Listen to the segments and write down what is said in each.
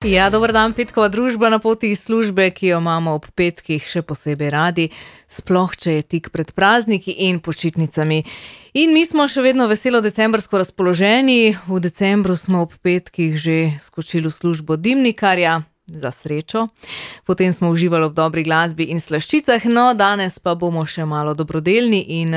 Ja, dober dan, petkova družba na poti iz službe, ki jo imamo ob petkih še posebej radi, sploh če je tik pred prazniki in počitnicami. In mi smo še vedno veselo decembrsko razpoloženi. V decembru smo ob petkih že skočili v službo dimnikarja, za srečo. Potem smo uživali ob dobri glasbi in slaščicah, no danes pa bomo še malo dobrodelni in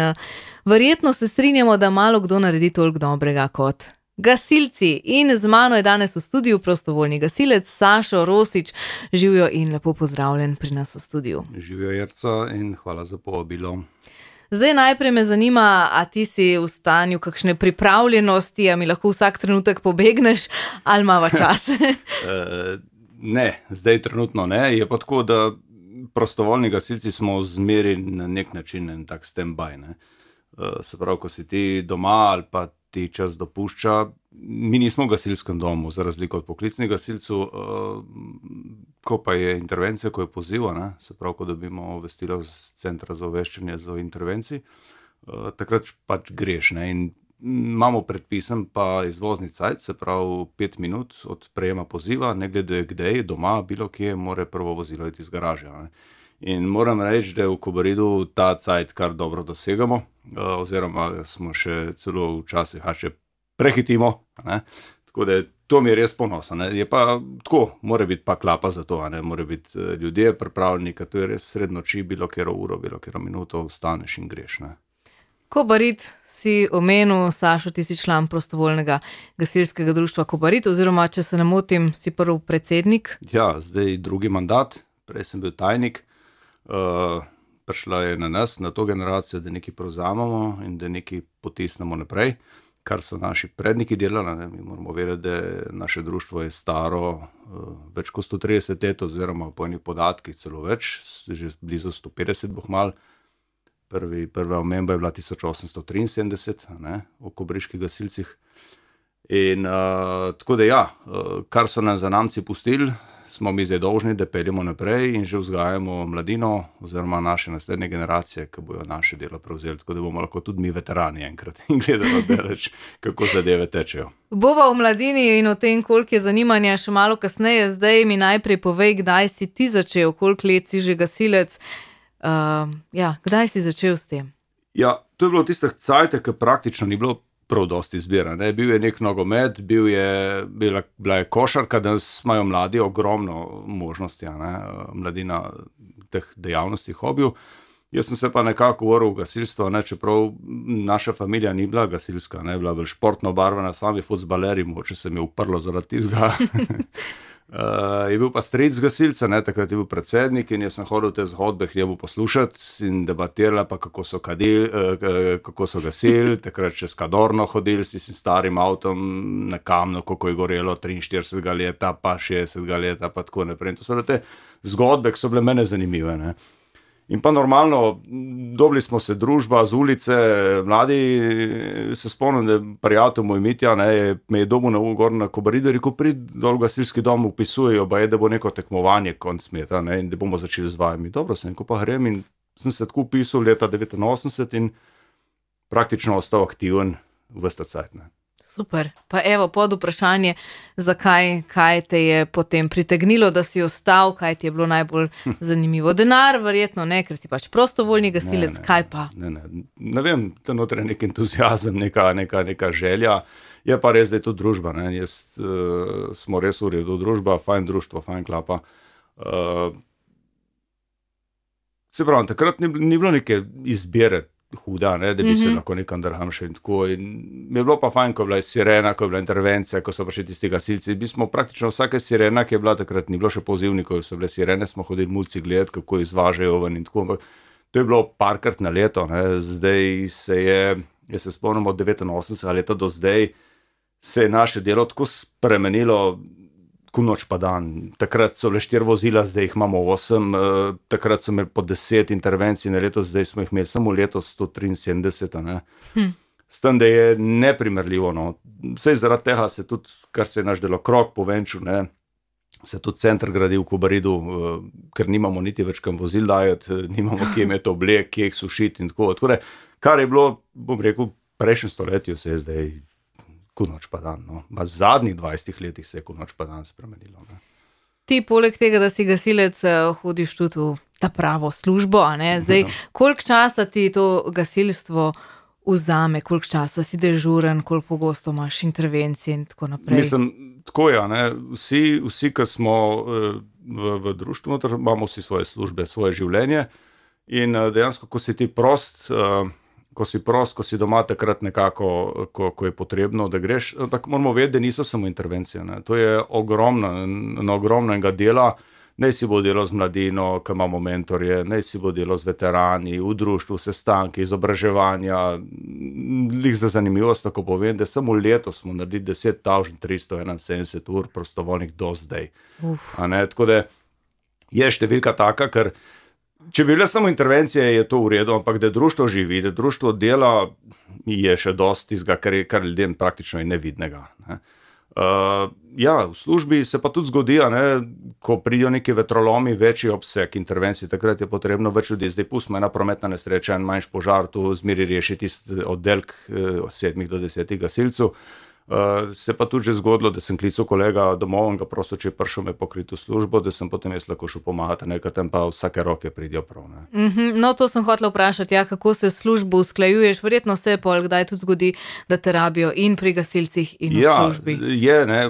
verjetno se strinjamo, da malo kdo naredi toliko dobrega kot gasilci. In z mano je danes v studiu prostovoljni gasilec Sašo Rosič. Živjo in lepo pozdravljen pri nas v studiu. Živjo, Jerca, in hvala za povabilo. Zdaj najprej me zanima, a ti si v stanju kakšne pripravljenosti, a mi lahko vsak trenutek pobegneš, ali imava čas? Ne, zdaj trenutno ne. Je pa tako, da prostovoljni gasilci smo zmeri na nek način en tak stand-by, ne. Se pravi, ko si ti doma ali pa ti čas dopušča, mi nismo v gasilskem domu, za razliko od poklicnih gasilcev, ko pa je intervencija, ko je poziv, ne, se pravi, ko dobimo obvestilo z centra za obveščanje za intervenciji, takrat pač greš, ne, in imamo predpisan pa izvozni cajt, se pravi 5 minut od prejema poziva, ne glede kdaj, doma, bilo kje, mora prvo vozilo iti iz garaže, ne. In moram reči, da v Kobaridu ta cajt kar dobro dosegamo, oziroma smo še celo včasih še prehitimo, ne. Tako da to mi je res ponosa, ne. Je pa tako, mora biti pa klapa za to, ne. Mora biti ljudje pripravljeni, ker to je res sred noči, bilo katero uro, bilo katero minuto vstaneš in greš, ne. Kobarid si omenil, Sašo, ti si član prostovoljnega gasilskega društva Kobarid, oziroma, če se ne motim, si prvi predsednik. Ja, zdaj drugi mandat, prej sem bil tajnik. Prišla je na nas, na to generacijo, da nekaj prevzamemo in da nekaj potisnemo naprej, kar so naši predniki delali, ne. Mi moramo vedeti, da naše društvo je staro več kot 130 let, oziroma po enih podatkih celo več, že blizu 150 bo kmalu. Prva omemba je bila 1873, ne, o kobriških gasilcih. In tako da ja, kar so nam zanamci pustili, smo mi zdaj dolžni, da peljemo naprej in že vzgajamo mladino oziroma naše naslednje generacije, ki bojo naše delo prevzeli, tako da bomo lahko tudi mi veterani enkrat in gledamo daleč, kako zadeve tečejo. Bova v mladini in o tem, koliko je zanimanja, še malo kasneje. Zdaj mi najprej povej, kdaj si ti začel, koliko let si že gasilec, kdaj si začel s tem? Ja, to je bilo tistih cajtov, ki praktično ni bilo prav dosti izbira, ne. Bil je nek nogomet, bila je košarka, danes imajo mladi ogromno možnosti, ne, mladina teh dejavnosti, hobijev. Jaz sem se pa nekako vrgel v gasilstvo, ne, čeprav naša familija ni bila gasilska, ne, bila bolj športno obarvana, sami fuzbalerji, mogoče se mi je uprlo zaradi tistega. Je bil pa stric gasilca, ne, takrat je bil predsednik in jaz sem hodil te zgodbe k njemu poslušati in debatirala pa, kako so gasili, takrat čez Kadorno hodili s tistim starim avtom na Kamnu, kako je gorelo 43 leta, pa 60 leta, pa tako naprej. In to so te zgodbe, ki so bile mene zanimive, ne. In pa normalno, dobili smo se družba z ulice, mladi, se spomnim, da prijatelj moj Mitja, ne, me je dobil gor na Kobaridu, rekel, prid dol v gasilski dom, vpisujejo, da bo neko tekmovanje konc meta, ne, in da bomo začeli z vajami. Dobro, sem ko pa grem in sem se tako vpisal leta 89 in praktično ostal aktiven ves ta cajt, ne. Super. Pa evo, pod vprašanje, zakaj, kaj te je potem pritegnilo, da si ostal, kaj ti je bilo najbolj zanimivo? Denar, verjetno ne, ker si pač prostovoljni gasilec, kaj pa? Ne vem, to noter je nek entuziazem, neka želja, je pa res, da je to družba, ne, smo res v redu družba, fajn društvo, fajn klapa. Se pravi, takrat ni bilo neke izbire huda, ne, da bi se lahko nekam drham še in tako. In mi je bilo pa fajn, ko je bila sirena, ko je bila intervencija, ko so prišli tisti gasilci. Mi smo praktično vsake sirena, ki je bila takrat, ni bilo še pozivnikov, so bile sirene, smo hodili mulci gledati, kako izvažajo ven in tako. Ampak to je bilo parkrat na leto, ne. Zdaj jaz se spomnim od 89 leta do zdaj, se je naše delo tako spremenilo, ko noč pa dan. Takrat so bile 4 vozila, zdaj jih imamo 8, takrat so imeli po 10 intervencij na leto, zdaj smo jih imeli samo letos 173, ne. S tem, da je neprimerljivo, no. Saj zaradi tega se tudi, kar se je naš delokrog povenčil, ne, se tudi center gradi v Kobaridu, ker nimamo niti več kam vozil dajati, nimamo kje imeti oblek, kje jih sušiti in tako. Tako da, kar je bilo, bom rekel, prejšnjem stoletju, se je zdaj ko noč pa dan, no. V zadnjih 20 letih se je ko noč pa dan spremenilo, ne. Ti poleg tega, da si gasilec, hodiš tudi v ta pravo službo, a ne? Zdaj, koliko časa ti to gasilstvo vzame, koliko časa si dežuren, koliko pogosto imaš intervencije in tako naprej? Mislim, tako je, ne? Vsi, ki smo v društvu, imamo vsi svoje službe, svoje življenje in dejansko, ko si ti prost, ko si doma takrat nekako, ko je potrebno, da greš, ampak moramo vedeti, da niso samo intervencije, ne? To je ogromnega dela. Naj si bo delo z mladino, ki imamo mentorje, naj si bo delo z veterani, v društvu, sestanki, izobraževanja. Lih za zanimivost, tako povem, da samo letos smo naredili 10.371 ur prostovoljnih do zdaj. Tako da je številka taka, ker če bi bile samo intervencije, je to v redu, ampak da društvo živi, da društvo dela, je še dosti tistega, kar ljudem praktično je nevidnega, ne. V službi se pa tudi zgodi, ko pridijo neki vetrolomi, večji obseg intervencij, takrat je potrebno več ljudi. Zdaj pustimo ena prometna nesreča, en manjši požar, tu zmeri reši tisti oddelek 7 do 10 gasilcev. Se pa tudi že zgodilo, da sem klical kolega domov in ga prosil, če je prišel me pokriti v službo, da sem potem jaz lahko šel pomagati, nekaj tam pa vsake roke pridijo prav. No, to sem hotela vprašati, kako se službo usklajuješ, verjetno se pol kdaj tudi zgodi, da te rabijo in pri gasilcih in v službi.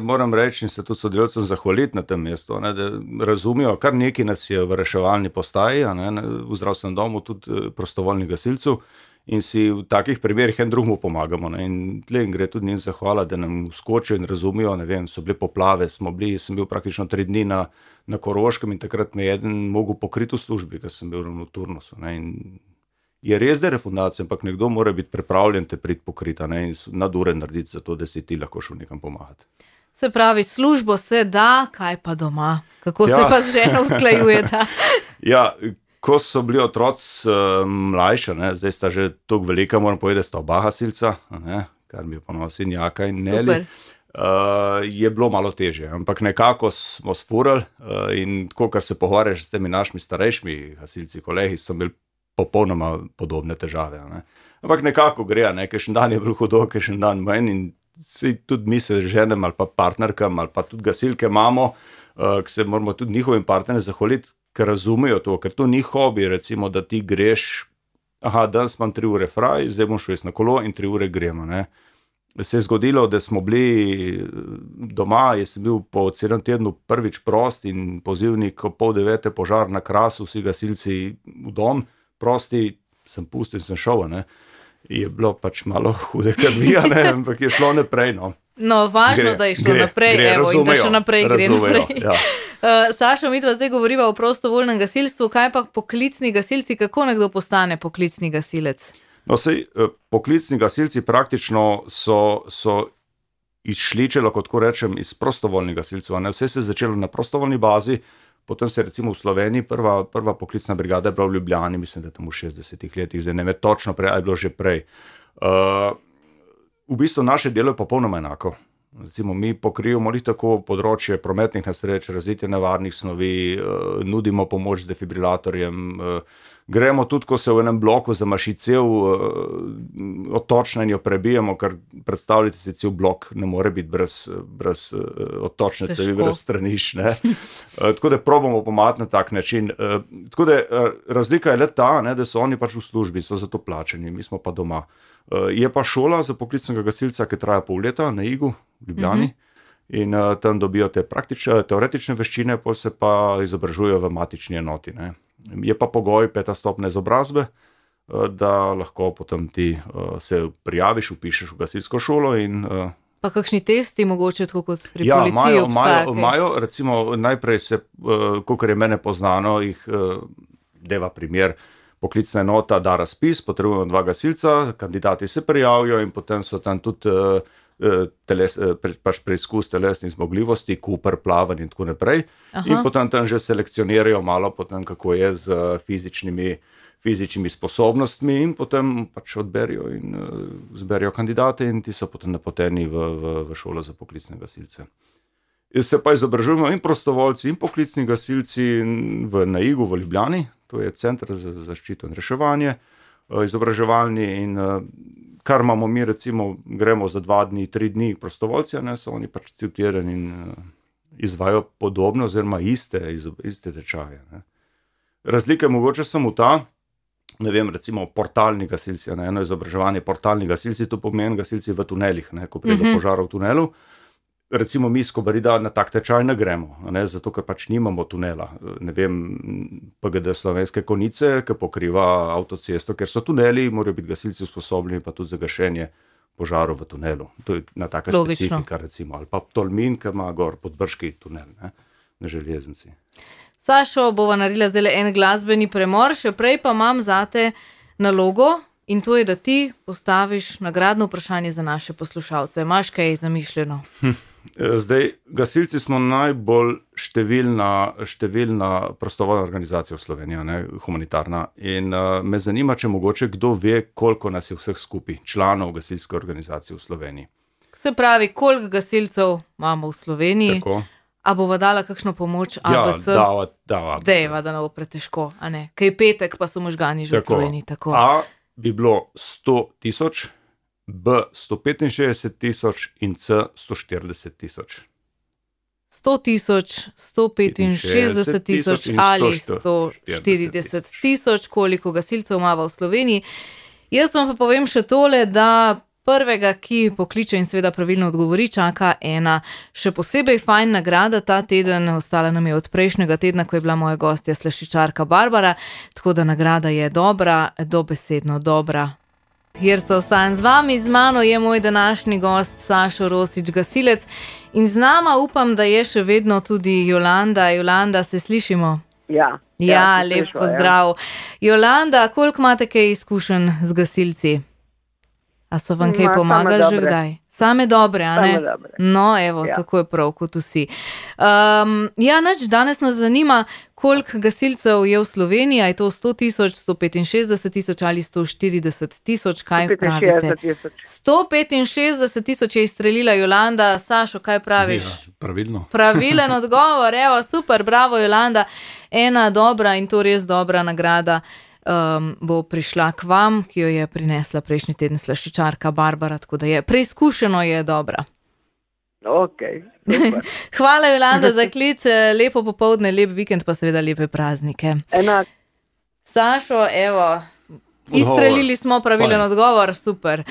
Moram reči in se tudi sodelavcem zahvaliti na tem mestu, da razumijo, kar nekaj nas je v reševalni postaji, v zdravstvenem domu tudi prostovoljnih gasilcev. In si v takih primerih en drugemu pomagamo. In tle gre tudi njim zahvala, da nam vskočijo in razumijo, so bile poplave, sem bil praktično 3 dni na Koroškem in takrat me je eden mogel pokriti v službi, ker sem bil ravno v turnusu. In je res, da je refundacija, ampak nekdo mora biti pripravljen te priti pokriti in nadure narediti za to, da si ti lahko šel nekam pomagati. Se pravi, službo se da, kaj pa doma? Kako se pa z ženo usklajujeta? Ko so bili otroci mlajši, zdaj sta že toliko velika, moram povedati, da sta oba gasilca, kar mi je ponosil Jaka in Neli, je bilo malo težje, ampak nekako smo sfurali in tako, kar se pogovarjaš s temi našimi starejšimi gasilci, kolegi, so imeli popolnoma podobne težave. Ampak nekako gre, kakšen dan je bil hudo, kakšen dan manj in tudi mi se ženem ali pa partnerkam ali pa tudi gasilke imamo, ki se moramo tudi njihovim partnerjem zahvaliti, ker razumejo to, ker to ni hobi, recimo, da ti greš, danes imam 3 ure fraj, zdaj bom šel jaz na kolo in 3 ure gremo, Se je zgodilo, da smo bili doma, jaz sem bil po celem tednu prvič prost in pozivnik 8:30 požar na Krasu, vsi gasilci v dom, prosti, sem pustil in sem šel, Je bilo pač malo hude krvi, ampak je šlo naprej, No, važno, da je šlo naprej, in da še naprej gre naprej. Sašo, midva zdaj govoriva o prostovoljnem gasilstvu, kaj pa poklicni gasilci, kako nekdo postane poklicni gasilec? No, poklicni gasilci praktično so izšli, če lahko tako rečem, iz prostovoljnih gasilcev. Vse se je začelo na prostovoljni bazi, potem se je recimo v Sloveniji prva poklicna brigada je bila v Ljubljani, mislim, da tam v 60 letih, zdaj ne vem točno prej, ali je bilo že prej. V bistvu naše delo je popolnoma enako. Recimo, mi pokrivamo tako področje prometnih nesreč, razlitja nevarnih snovi, nudimo pomoč z defibrilatorjem, gremo tudi, ko se v enem bloku zamaši cel odtočna in jo prebijemo, ker predstavljate si, cel blok ne more biti brez odtočne cevi, brez stranišč. Tako da probamo pomagati na tak način. Tako da razlika je le ta, da so oni pač v službi, so za to plačeni, mi smo pa doma. Je pa šola za poklicnega gasilca, ki traja pol leta na Igu v Ljubljani in tam dobijo te teoretične veščine, potem se pa izobražujejo v matični enoti. Je pa pogoj 5. stopnja izobrazbe, da lahko potem ti se prijaviš, vpišeš v gasilsko šolo in Pa kakšni testi mogoče tako kot pri policiji obstajajo? Imajo, recimo najprej se, kakor je mene poznano, jih deva primer, poklicna enota da razpis, potrebujemo 2 gasilca, kandidati se prijavijo in potem so tam tudi preizkus telesnih zmogljivosti, Cooper, plavanje in tako naprej. In potem tam že selekcionirajo malo potem, kako je z fizičnimi sposobnostmi in potem pač odberijo in zberijo kandidate in ti so potem napoteni v šolo za poklicne gasilce. Se pa izobražujemo in prostovoljci in poklicni gasilci na Igu v Ljubljani, to je Center za zaščito in reševanje, izobraževalni in kar imamo mi, recimo, gremo za 2 dni, 3 dni prostovoljci, so oni pač cel teden in izvajo podobne oziroma iste tečaje. Ne. Razlika je mogoče samo ta, ne vem, recimo portalni gasilci, ne, eno izobraževanje portalni gasilci, to pomeni gasilci v tunelih, ne, ko pride do požara v tunelu. Recimo mi iz Kobarida na tak tečaj ne gremo, ne, zato ker pač nimamo tunela. Ne vem, PGD Slovenske Konjice, ki pokriva avtocesto, ker so tuneli, morajo biti gasilci usposobljeni pa tudi za gašenje požarov v tunelu. To je na taka specifika, recimo. Ali pa Tolmin, ki ima gor Podbrški tunel, ne, na železnici. Sašo, bova naredila zdaj en glasbeni premor, še prej pa imam zate nalogo in to je, da ti postaviš nagradno vprašanje za naše poslušalce. Imaš kaj zamišljeno? Zdaj, gasilci smo najbolj številna prostovoljna organizacija v Sloveniji, ne, humanitarna. In me zanima, če mogoče kdo ve, koliko nas je vseh skupaj članov gasilske organizacije v Sloveniji. Se pravi, koliko gasilcev imamo v Sloveniji? Tako. A bova dala kakšno pomoč ABC? Ja, dava ABC. Dejva, da ne bo pretežko, a ne? Kaj petek, pa so možgani že utrujeni. Tako. A bi bilo 100,000, B 165,000 in C 140,000. 100,000, 165,000 ali 140,000, koliko gasilcev imamo v Sloveniji. Jaz vam pa povem še tole, da prvega, ki pokliče in seveda pravilno odgovori, čaka ena še posebej fajn nagrada ta teden, ostala nam je od prejšnjega tedna, ko je bila moja gostja slaščičarka Barbara, tako da nagrada je dobra, dobesedno dobra. Jerca, ostajam z vami, z mano je moj današnji gost Sašo Rosič, gasilec, in z nama upam, da je še vedno tudi Jolanda. Jolanda, se slišimo? Ja, lep pozdrav. Jolanda, koliko imate kaj izkušenj z gasilci? A so vam kaj pomagali že kdaj? Same dobre, a ne? Same dobre. No, evo, tako je prav, kot vsi. Danes nas zanima, koliko gasilcev je v Sloveniji, a je to 100,000, 165,000 ali 140,000, kaj pravite? 165,000 je izstrelila Jolanda. Sašo, kaj praviš? Ja, pravilno. Pravilen odgovor, evo, super, bravo Jolanda. Ena dobra in to res dobra nagrada bo prišla k vam, ki jo je prinesla prejšnji teden slaščičarka Barbara, tako da je preizkušeno, je dobra. Ok, super. Hvala Jolanda za klic, lepo popoldne, lep vikend, pa seveda lepe praznike. Enak. Sašo, evo, izstrelili smo pravilen odgovor, super.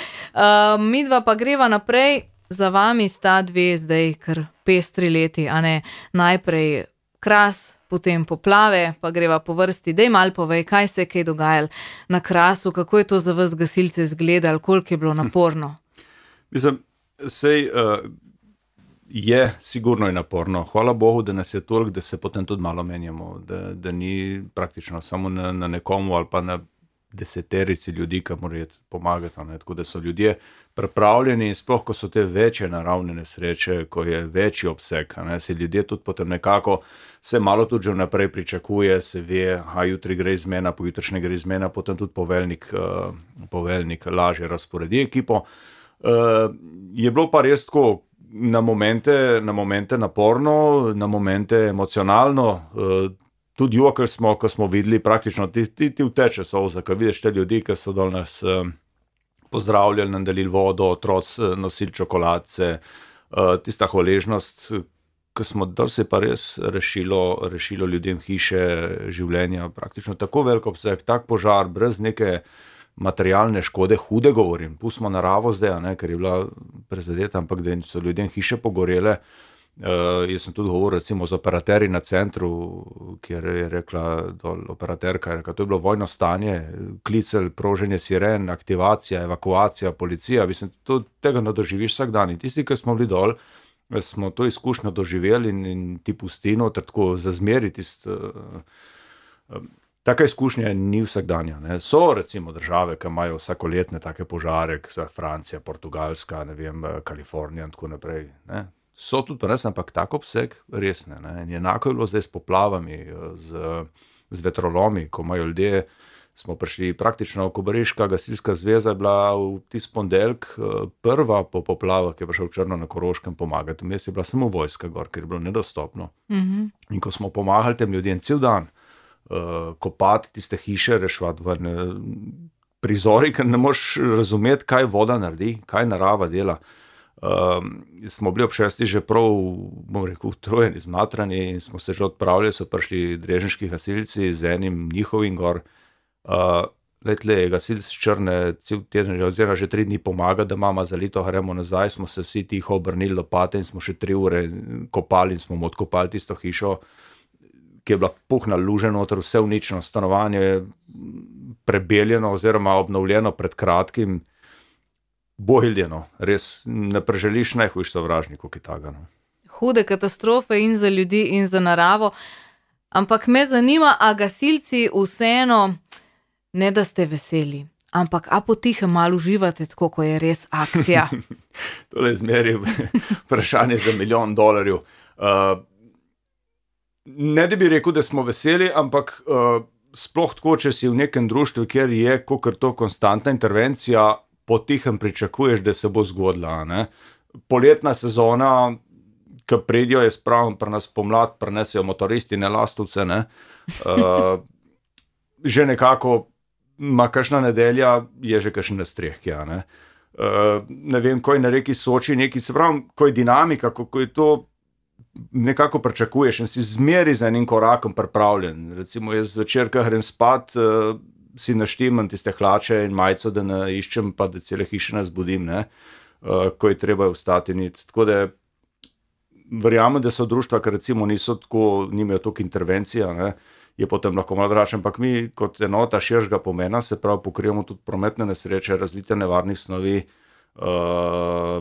Midva pa greva naprej, za vami sta dve zdaj kar pestri leti, a ne, najprej Kras, potem poplave, pa greva po vrsti. Dej malo povej, kaj se je kaj dogajalo na Krasu, kako je to za vas gasilce izgledalo, koliko je bilo naporno? Mislim, je sigurno je naporno. Hvala Bogu, da nas je toliko, da se potem tudi malo menjamo, da ni praktično samo na nekomu ali pa na deseterici ljudi, ki morajo pomagati. Ne? Tako da so ljudje pripravljeni in sploh, ko so te večje naravne nesreče, ko je večji obseg, ne? Se ljudje tudi potem nekako se malo tudi že vnaprej pričakuje, se ve, jutri gre izmena, pojutrišnje gre izmena, potem tudi poveljnik lažje razporedi ekipo. Je bilo pa res tako na momente naporno, na momente emocionalno, tudi jokali smo, ko smo videli praktično, ti vteče solza, ko vidiš te ljudi, ki so dol nas pozdravljali, nam delili vodo, otroci nosili čokoladce, tista hvaležnost, ko smo dol se pa res rešilo ljudem hiše, življenja, praktično tako veliko obseg, tak požar, brez neke materialne škode, hude govorim, pustimo naravo zdaj, ne, ker je bila prezadeta, ampak da so ljudem hiše pogorele. Jaz sem tudi govoril recimo z operaterji na centru, kjer je rekla operaterka, to je bilo vojno stanje, klicel, proženje siren, aktivacija, evakuacija, policija, mislim, tega ne doživiš vsak dan. In tisti, ki smo bili dol, smo to izkušnjo doživeli in ti pusti noter tako zazmeriti. Taka izkušnja ni vsakdanja. Ne. So recimo države, ki imajo vsakoletne take požare, Francija, Portugalska, ne vem, Kalifornija in tako naprej, ne. So tudi pa res, ampak tak obseg res ne. In enako je bilo zdaj s poplavami, z vetrolomi, ko imajo ljudje, smo prišli praktično, Kobariška gasilska zveza je bila v tisti ponedeljek prva po poplavah, ki je prišel v Črno na Koroškem pomagati. Vmes je bila samo vojska gor, ker je bilo nedostopno. In ko smo pomagali tem ljudem cel dan, kopati tiste hiše, reševati ven, prizori, ker ne moreš razumeti, kaj voda naredi, kaj narava dela. Smo bili ob 6 že prav, bom rekel, utrujeni, zmatrani in smo se že odpravili, so prišli drežniški gasilci z enim njihovim gor. Je gasilc Črne cel teden, oziroma že 3 dni pomaga, da mama zalito, gremo nazaj, smo se vsi tiho obrnili lopate in smo še 3 ure kopali in smo mu odkopali tisto hišo, ki je bila puhna luže noter, vse uničeno, stanovanje prebeljeno oziroma obnovljeno pred kratkim, bohiljeno, res ne preželiš najhujš sovražnikov, ki taga. No. Hude katastrofe in za ljudi in za naravo, ampak me zanima, a gasilci vseeno, ne da ste veseli, ampak a potihem malo uživate, tako ko je res akcija? To je zmeri vprašanje za $1 milijon. Ne da bi rekel, da smo veseli, ampak sploh tako, če si v nekem društvu, kjer je kakor to konstantna intervencija, potihem pričakuješ, da se bo zgodila. Ne? Poletna sezona, ki pridijo, je spravno pri nas pomlad, prinesejo motoristi, ne lastovce, ne? Že nekako ima kakšna nedelja, je že kakšen nastreh, ja, ne? Ne vem, ko je na reki Soči neki, se pravi, ko je dinamika, ko je to nekako pričakuješ in si zmeri za enim korakom pripravljen. Recimo jaz zvečer, ko grem spat, si naštimam tiste hlače in majico, da ne iščem, pa da cele hiše ne zbudim, ne? Ko je treba vstati niti. Tako da verjamem, da so društva, ker recimo nimajo toliko intervencija, ne? Je potem lahko malo dražje, ampak mi kot enota širšega pomena, se pravi, pokrijemo tudi prometne nesreče, razlite nevarnih snovi,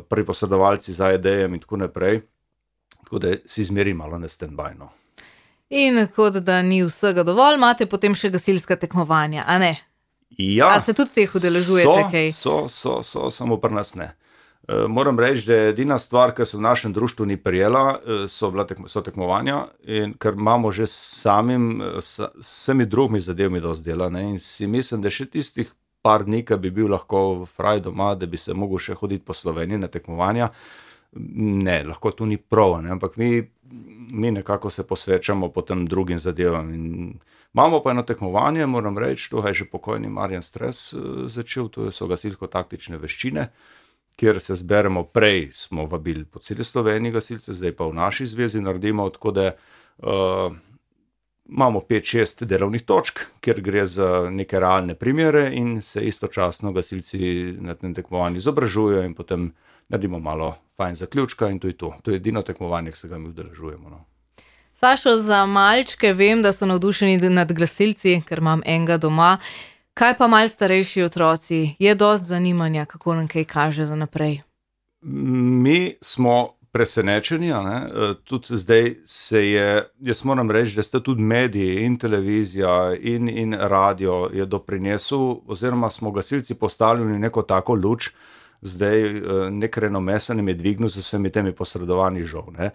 pri posredovalci za ED-jem in tako naprej. Tako da si zmeri malo na stand-by, no. In kot da ni vsega dovolj, imate potem še gasilska tekmovanja, a ne? Ja. A se tudi teh udeležujete kaj? Samo pri nas ne. Moram reči, da je edina stvar, ki se v našem društvu ni prijela, so tekmovanja, in ker imamo že vsemi drugimi zadevami dosti dela, ne, in si mislim, da še tistih par dni, ki bi bil lahko fraj doma, da bi se mogel še hoditi po Sloveniji na tekmovanja, ne, lahko tu ni prav, ne, ampak mi nekako se posvečamo potem drugim zadevam. In imamo pa eno tekmovanje, moram reči, to je že pokojni Marjan Stres začel, to so gasilsko-taktične veščine, kjer se zberemo, prej smo vabili po celi Sloveniji gasilce, zdaj pa v naši zvezi naredimo, tako da imamo 5-6 delovnih točk, kjer gre za neke realne primere in se istočasno gasilci na tem tekmovanju izobražujejo in potem naredimo malo fajn zaključka in to je to. To je edino tekmovanje, ki se ga mi udeležujemo. No. Sašo, za malčke vem, da so navdušeni nad gasilci, ker imam enega doma. Kaj pa malo starejši otroci? Je dosti zanimanja, kako nam kaj kaže za naprej? Mi smo presenečeni, ne? Tudi zdaj jaz moram reči, da ste tudi mediji in televizija in radio je doprinesel, oziroma smo gasilci postavljeni neko tako luč, zdaj nek renome se nam je dvignil z vsemi temi posredovanji žal. Ne?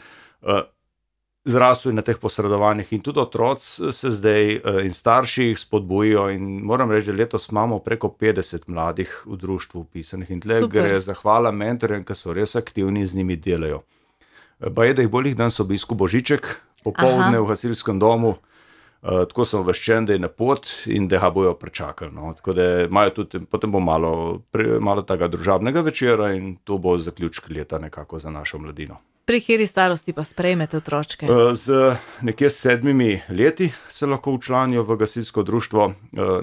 Zrastel na teh posredovanjih in tudi otroci se zdaj in starši jih spodbujijo in moram reči, da letos imamo preko 50 mladih v društvu upisanih in tle gre zahvala mentorjem, ki so res aktivni in z njimi delajo. Pa je, da jih bolj danes obisku Božiček, popoldne v gasilskem domu, tako sem obveščen, da je na pot in da ga bojo prečakali. No. Tako da imajo tudi, potem bo malo tega družabnega večera in to bo zaključek leta nekako za našo mladino. Pri kateri starosti pa sprejmete otročke? Z nekje 7 leti se lahko včlanijo v gasilsko društvo,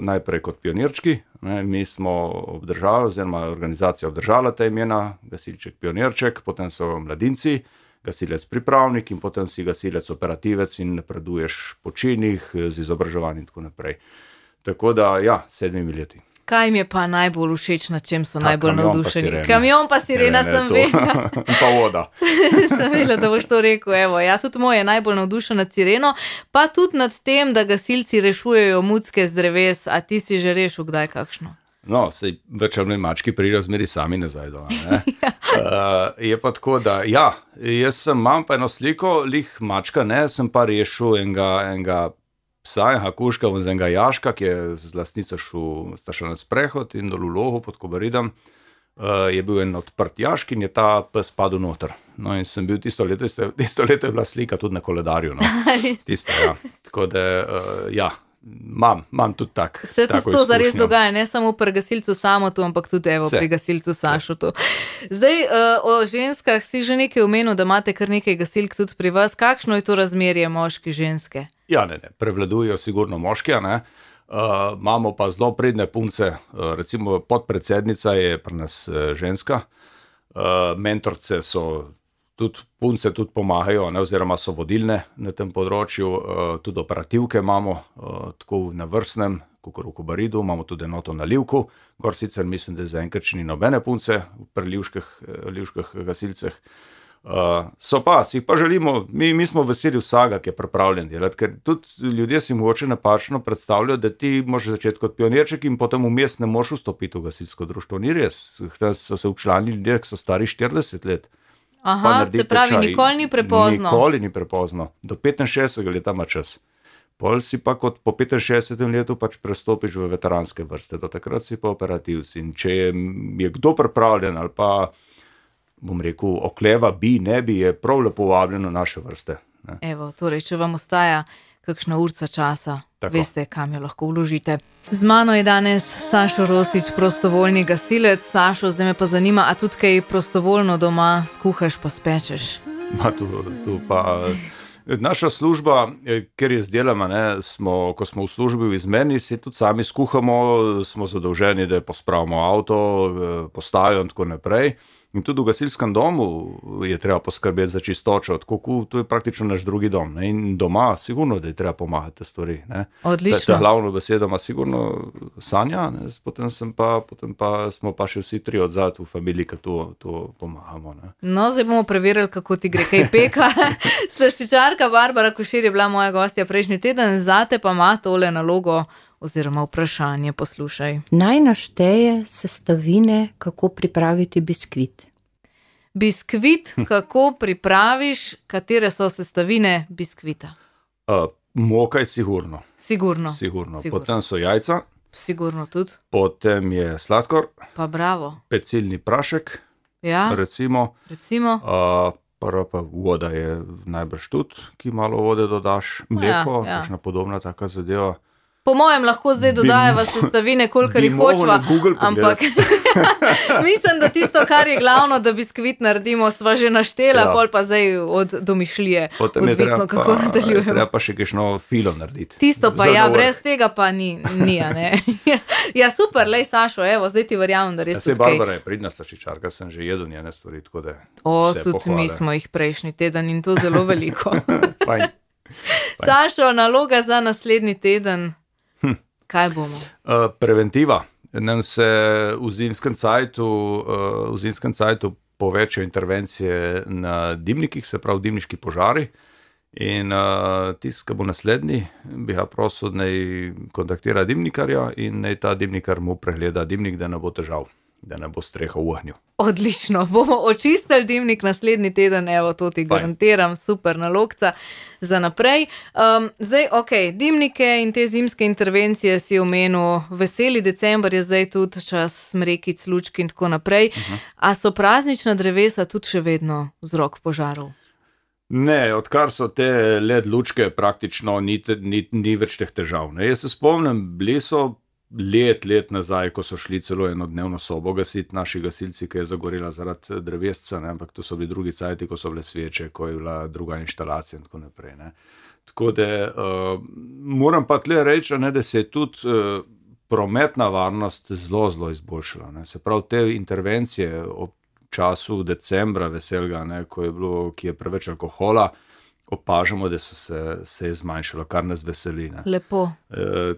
najprej kot pionirčki. Mi smo obdržali, oziroma organizacija obdržala ta imena, gasilček, pionirček, potem so mladinci, gasilec pripravnik in potem si gasilec operativec in napreduješ po činih z izobraževanjem in tako naprej. Tako da, ja, 7 leti. Kaj mi je pa najbolj všeč, na čem so najbolj navdušeni? Kamion pa sirena sem vedela. Pa voda. Sem vedela, da boš to rekel. Evo, ja, tudi moj je najbolj navdušen nad sireno, pa tudi nad tem, da gasilci rešujejo mucke z dreves. A ti si že rešil kdaj kakšno? No, sej več ali manj mački pridejo zmeri sami nazaj doma, ne? Je pa tako, da ja, jaz imam pa eno sliko, lih mačka, ne, sem pa rešil enega psa, enega kužka, z enega jaška, ki je z lastnico šel na sprehod in dol v lohu pod Kobaridom, je bil en odprt jašk in je ta pes padel noter. No in sem bil tisto leto je bila slika tudi na koledarju, no. Tisto, ja. Tako da, ja, Imam tudi tako. Se tudi to zares dogaja, ne samo pri gasilcu Samotu, ampak tudi pri gasilcu Sašotu. Zdaj, o ženskah si že nekaj omenil, da imate kar nekaj gasilk tudi pri vas. Kakšno je to razmerje moški-ženske? Ja, ne, prevladujejo sigurno moški, ne. Imamo pa zelo pridne punce, recimo podpredsednica je pri nas ženska, mentorce so tudi punce tudi pomagajo, ne, oziroma so vodilne na tem področju, tudi operativke imamo, tako na vrstnem, kakor v Kobaridu, imamo tudi enoto na Livku, gor sicer mislim, da zaenkrat še ni nobene punce pri livških gasilceh. So pa, si pa želimo, mi smo veseli vsega, ki je pripravljen delati, ker tudi ljudje si mogoče napačno predstavljajo, da ti možeš začeti kot pionirček in potem vmes ne moš vstopiti v gasilsko društvo. Ni res, so se včlanili ljudje, ki so stari 40 let. Aha, se pravi, nikoli ni prepozno. Nikoli ni prepozno, do 65 leta ima čas. Pol si pa kot po 65 letu pač prestopiš v veteranske vrste, do takrat si pa operativci. In če je kdo pripravljen ali pa bom rekel, okleva ne bi, je prav lepo vabljen v naše vrste. Ne. Evo, torej, če vam ostaja kakšna urca časa, Tako. Veste, kam jo lahko vložite. Z mano je danes Sašo Rosič, prostovoljni gasilec. Sašo, zdaj me pa zanima, a tudi kaj prostovoljno doma skuhaš pa spečeš? Tu pa naša služba, ker je zdelama, ko smo v službi v izmeni, si tudi sami skuhamo, smo zadolženi, da pospravimo avto, postajo in tako naprej. In tudi v gasilskem domu je treba poskrbeti za čistočo, tako to je praktično naš drugi dom. Ne? In doma sigurno, da je treba pomagati te stvari. Ne? Odlično. Ta glavno besedo ima sigurno Sanja, potem pa smo pa še vsi tri odzad v familiji, ki to pomagamo. Ne? No, zdaj bomo preverili, kako ti gre kaj peka. Slaščičarka Barbara Košir je bila moja gostja prejšnji teden, zate pa ima tole nalogo oziroma vprašanje, poslušaj. Naj našteje sestavine, kako pripraviti biskvit. Biskvit, kako pripraviš, katere so sestavine biskvita? Moka je sigurno. Sigurno. Potem so jajca. Sigurno tudi. Potem je sladkor. Pa bravo. Pecilni prašek. Ja. Recimo. Prva pa voda je najbrž tudi, ki malo vode dodaš. Mleko, kakšna podobna taka zadeva. Po mojem lahko zdaj dodajava sestavine, kolikor jih hočeva, ampak mislim, da tisto, kar je glavno, da biskvit naredimo, sva že naštela, pol pa zdaj od domišljije, odvisno kako nadaljujemo. Treba pa še kakšno filo narediti. Tisto pa brez tega pa ni, ne. Ja, super, lej Sašo, evo, zdaj ti verjamem, da res tudi kaj. Barbara je pridna slaščičarka, sem že jedel njene stvari, tako da tudi pohvale. Mi smo jih prejšnji teden in to zelo veliko. Fajn. Sašo, naloga za naslednji teden. Kaj bomo? Preventiva. Nam se v zimskem cajtu povečajo intervencije na dimnikih, se pravi dimniški požari. In tisti, ki bo naslednji, bi ga prosil, naj kontaktira dimnikarja in naj ta dimnikar mu pregleda dimnik, da ne bo težav, da ne bo streha v ognju. Odlično, bomo očistili dimnik naslednji teden, evo, to ti garantiram, super nalogca za naprej. Zdaj, dimnike in te zimske intervencije si omenil, veseli december je zdaj tudi čas smrekic, lučk in tako naprej. A so praznična drevesa tudi še vedno vzrok požarov? Ne, odkar so te LED lučke praktično ni več teh težav. Ne. Jaz se spomnim, bili so let nazaj, ko so šli celo enodnevno sobo gasiti naši gasilci, ki je zagorela zaradi drevesca, ne, ampak to so bili drugi cajti, ko so bile sveče, ko je bila druga inštalacija in tako naprej. Ne. Tako da moram pa tle reči, da se je tudi prometna varnost zelo izboljšala. Ne. Se pravi, te intervencije ob času decembra veselga, ne, ki je preveč alkohola, opažamo, da se je zmanjšalo, kar nas veseli. Ne. Lepo.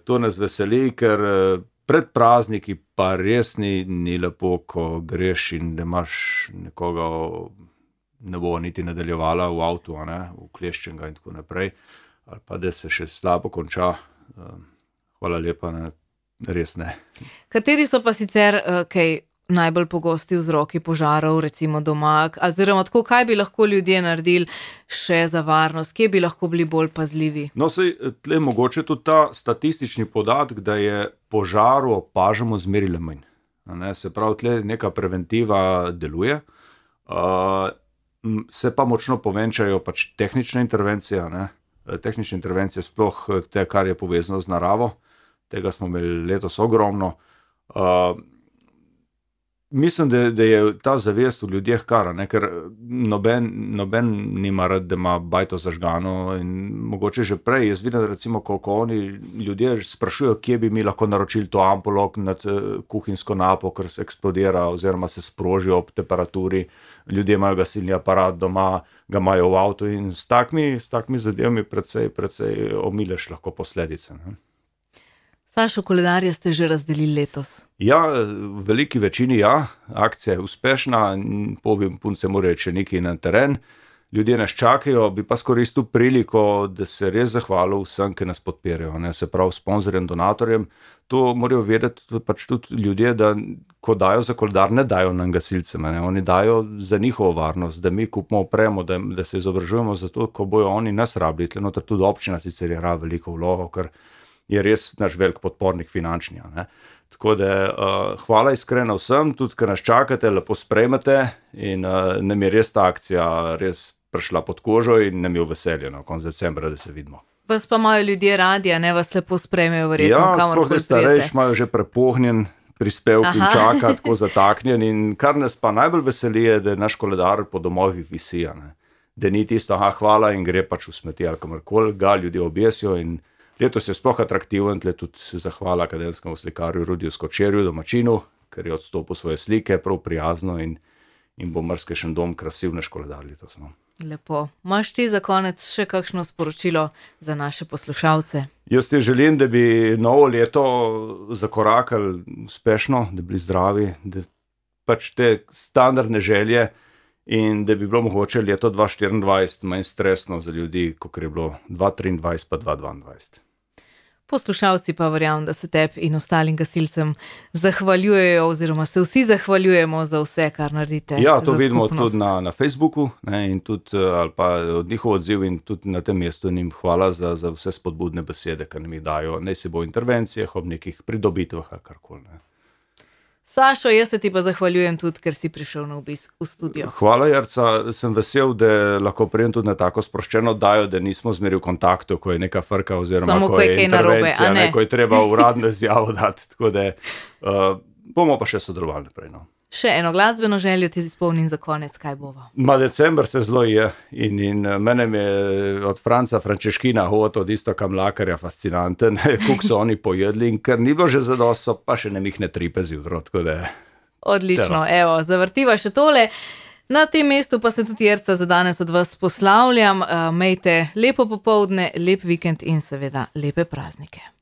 To nas veseli, ker pred prazniki pa res ni lepo, ko greš in da imaš nekoga, ne bo niti nadaljevala v avtu, vkleščenega in tako naprej, ali pa da se še slabo konča. Hvala lepa, ne, res ne. Kateri so pa sicer najbolj pogosti vzroki požarov, recimo doma, oziroma tako, kaj bi lahko ljudje naredili še za varnost, kje bi lahko bili bolj pazljivi? No, sej, tle mogoče tudi ta statistični podatek, da je požaru opažamo zmeri le manj. Se pravi, tle neka preventiva deluje, se pa močno povečajo pač tehnične intervencije, tehnične intervencije, sploh te, kar je povezano z naravo. Tega smo imeli letos ogromno. Mislim, da je ta zavest v ljudeh kara, ne? Ker noben nima rad, da ima bajto zažgano in mogoče že prej. Jaz vidim, recimo, koliko oni ljudje sprašujejo, kje bi mi lahko naročili to ampulo nad kuhinjsko napo, ker se eksplodira oziroma se sproži ob temperaturi. Ljudje imajo gasilni aparat doma, ga imajo v avtu in s takimi zadevami precej omileš lahko posledice, ne? Sašo, koledarje ste že razdelili letos? Ja, v veliki večini ja, akcija je uspešna, punce morajo še nekaj na teren, ljudje nas čakajo, bi pa skoristil priliko, da se res zahvalil vsem, ki nas podpirajo, ne, se pravi sponzorjem, donatorjem. To morajo vedeti pač tudi ljudje, da ko dajo za koledar, ne dajo nam gasilcem, ne, oni dajo za njihovo varnost, da mi kupimo opremo, da se izobražujemo za to, ko bojo oni nas rabili, tle noter tudi občina sicer igra veliko vlogo, ker je res naš velik podpornik finančni, ne. Tako da hvala iskreno vsem, tudi ker nas čakate, lepo sprejmete in nam je res ta akcija res prišla pod kožo in nam je v veselje, no, konec decembra, da se vidimo. Vas pa imajo ljudje radi, a ne, vas lepo sprejmejo verjetno, kamor koli sploh prijete. starejši imajo že prepohnjen prispevk in čaka, tako zataknjen in kar nas pa najbolj veseli je, da naš koledar po domovih visi, ne. Da ni tisto, hvala in gre pač v smeti ali kamorkoli, ga ljudje objesijo in letos je sploh atraktiven, tle tudi zahvala akademskemu slikarju Rudiju Skočerju, domačinu, ker je odstopil svoje slike, prav prijazno in bo marsikšen dom krasil naš koledar letos, no. Lepo. Imaš ti za konec še kakšno sporočilo za naše poslušalce? Jaz ti želim, da bi novo leto zakorakali uspešno, da bi bili zdravi, da pač te standardne želje in da bi bilo mogoče leto 2024 manj stresno za ljudi, kot je bilo 2023 pa 2022. Poslušalci pa verjamem, da se tebi in ostalim gasilcem zahvaljujejo oziroma se vsi zahvaljujemo za vse, kar naredite. Ja, to vidimo tudi na Facebooku, ne, in tudi, ali pa od njihov odziv in tudi na tem mestu njim hvala za vse spodbudne besede, ki nam jih dajo, ne si bo v intervencijah, ob nekih pridobitvah ali karkoli, ne. Sašo, jaz se ti pa zahvaljujem tudi, ker si prišel na obisk v studio. Hvala, Jerca, sem vesel, da lahko prijem tudi na tako sproščeno oddajo, da nismo zmeri v kontaktu, ko je neka frka oziroma samo ko je narobe, intervencija, ne, ko je treba uradno izjavo dati, tako da bomo pa še sodelovali naprej, no. Še eno glasbeno željo ti izpolnim za konec, kaj bova? December se zelo je in mene je od Franca Frančeškina od Iztoka Mlakarja fascinanten, koliko so oni pojedli in ker ni bilo že zadosto, pa še ne mihne tripe zjutraj, tako da. Odlično, evo, zavrtiva še tole. Na tem mestu pa se tudi Jerca za danes od vas poslavljam. Imejte lepo popoldne, lep vikend in seveda lepe praznike.